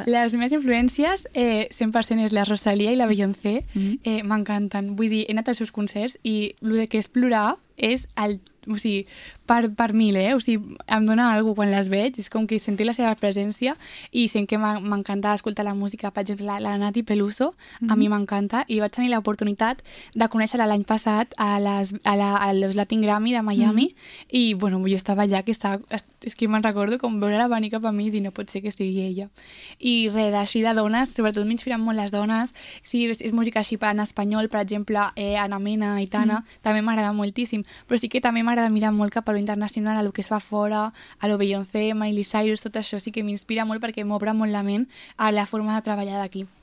Les meves influències 100% és la Rosalía i la Beyoncé. M'encanten. Vull dir, he anat als seus concerts i el que és plorar és el... O sigui, per mil, O sigui, em dona alguna cosa quan les veig, és com que sentir la seva presència i sent que m'encanta escoltar la música. Per exemple, la Nati Peluso, a mi m'encanta, i vaig tenir l'oportunitat de conèixer-la l'any passat a los Latin Grammy de Miami, i, bueno, jo estava allà, és que me'n recordo com veure-la venir cap a mi i dir, no pot ser que estigui ella. I res, així de dones, sobretot m'inspiren molt les dones. Si és música així en espanyol, per exemple, Ana Mena, Aitana, també m'agrada moltíssim, però sí que també m'agrada mirar molt cap a lo internacional, a lo que es fa fora, a lo Beyoncé, Miley Cyrus, tot això sí que m'inspira molt perquè m'obre molt la ment a la forma de treballar d'aquí.